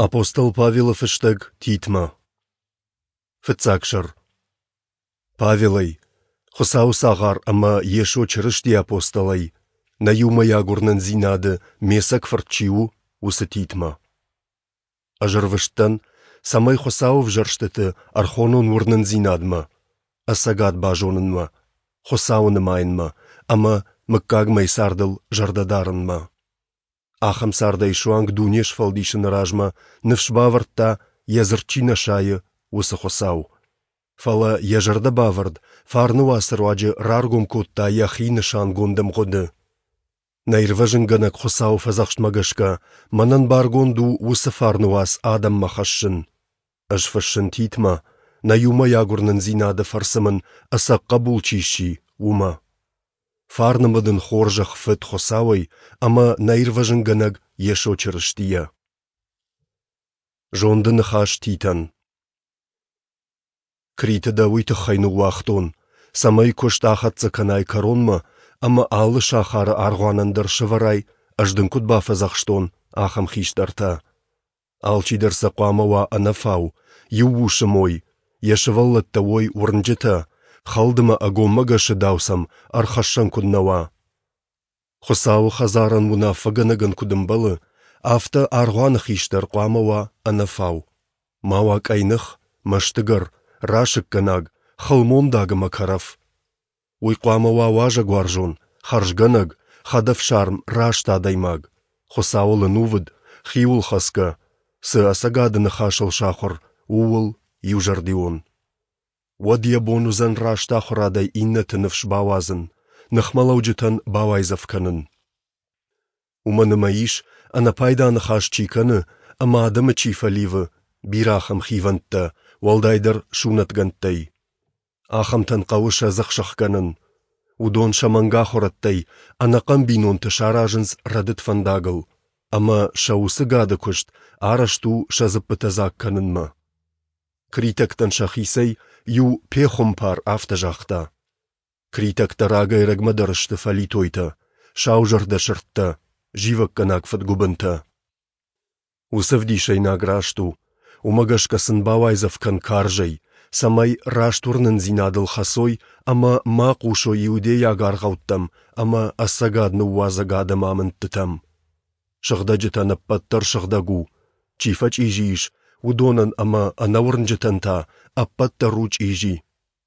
Апостол Павелы фыстӕг Титмӕ. Фыццаг сӕр. Павелӕй, Хуыцауы цагъар ӕмӕ Йесо Чырыстийы апостолӕй, нӕ иумӕйаг уырнындзинады ме цӕг фырт чи у, уыцы Титмӕ. Ӕз ӕрвыст дӕн, цӕмӕй Хуыцауы ӕвзӕрстыты ӕрхонон уырнындзинадмӕ, ӕцӕгад базонынмӕ, Хуыцауы нымайынмӕ ӕмӕ мыггагмӕйы цардыл зӕрдӕ дарынмӕ. Ахӕм цардӕй суанг дуне сфӕлдисыны размӕ ныфс бавӕрдта, йӕ дзырд чи нӕ сайы, уыцы Хуыцау. Фӕлӕ йӕ зӕрдӕбавӕрд фарны уацы руаджы раргом кодта йӕхи нысангонд ӕмгъуыды. Нӕ Ирвӕзынгӕнӕг Хуыцауы фӕдзӕхстмӕ гӕсгӕ, мӕнӕн баргонд у уыцы фарны уац адӕммӕ хӕссын. Ӕз фыссын Титмӕ, нӕ иумӕйаг уырнындзинады фӕрцы мын ӕцӕг хъӕбул чи сси, уымӕ. Фарн ӕмӕ дын хорзӕх Фыд Хуыцауӕй ӕмӕ нӕ Ирвӕзынгӕнӕг Йесо Чырыстийӕ. Зонды ныхас Титӕн. Криты дӕ уый тыххӕй ныууагътон, цӕмӕй куыст ахӕццӕ кӕнай кӕронмӕ ӕмӕ алы сахары аргъуанӕн дӕр сӕвӕрай, ӕз дын куыд бафӕдзӕхстон, ахӕм хистӕртӕ. Алчидӕр сӕ хъуамӕ уа ӕнӕфау, иу усы мой, йӕ сывӕллӕттӕ уой уырнджытӕ, хӕлд ӕмӕ ӕгоммӕгӕсы дау сӕм ӕрхӕссӕн куыд нӕ уа. Хуыцауы хӕдзарӕн уынаффӕгӕнӕгӕн куыд ӕмбӕлы, афтӕ аргъуаны хистӕр хъуамӕ уа ӕнӕфау, ма уа къӕйных, мӕстыгӕр, расыггӕнаг, хылмондаг ӕмӕ кӕрӕф. Уый хъуамӕ уа уазӕгуарзон, хӕрзгӕнӕг, хӕдӕфсарм, раст адӕймаг, Хуыцауыл ӕнувыд, хиуылхӕцгӕ, цы ӕцӕгады ныхасыл сахуыр, ууыл иузӕрдион. Уӕд йӕ бон уыдзӕн раст ахуырадӕй иннӕты ныфс бауадзын, ныхмӕлӕуджытӕн бауайдзӕф кӕнын. Уымӕн ӕмӕ ис, ӕнӕпайда ныхас чи кӕны ӕмӕ адӕмы чи фӕливы, бирӕ ахӕм хивӕндтӕ, уӕлдайдӕр сунӕтгӕндтӕй. Ахӕмтӕн хъӕуы сӕ дзых сӕхгӕнын. Уыдон сӕ мӕнгахуырӕдтӕй ӕнӕхъӕн бинонты саразынц рӕдыд фӕндагыл, ӕмӕ сӕ уыцы гӕды куыст арӕзт у сӕ дзыппытӕ дзаг кӕнынмӕ. Критӕгтӕн сӕхицӕй иу пехуымпар афтӕ загъта: Критӕгтӕ рагӕй-ӕрӕгмӕ дӕр сты фӕлитойтӕ, саузӕрдӕ сырдтӕ, зивӕггӕнаг фыдгуыбынтӕ. Уыцы ӕвдисӕйнаг раст у, уымӕ гӕсгӕ сын бауайдзӕф кӕн карзӕй, цӕмӕй раст уырнындзинадыл хӕцой ӕмӕ ма хъусой иудейаг аргъӕуттӕм ӕмӕ ӕцӕгад ныууадзӕг адӕмы амындтытӕм. Сыгъдӕджытӕн ӕппӕт дӕр сыгъдӕг у, чи фӕчъизи ис, уыдонӕн ӕмӕ ӕнӕуырнджытӕн та ӕппӕт дӕр у чъизи,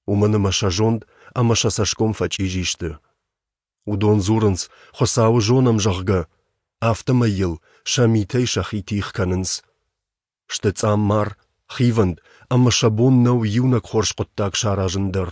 уымӕн ӕмӕ сӕ зонд ӕмӕ сӕ цӕсгом фӕчъизи сты. Уыдон дзурынц, Хуыцауы зонӕм, зӕгъгӕ, афтӕмӕй йыл сӕ митӕй сӕхи тигъ кӕнынц. Сты цъаммар, хивӕнд ӕмӕ сӕ бон нӕу иунӕг хорз хъуыддаг саразын дӕр.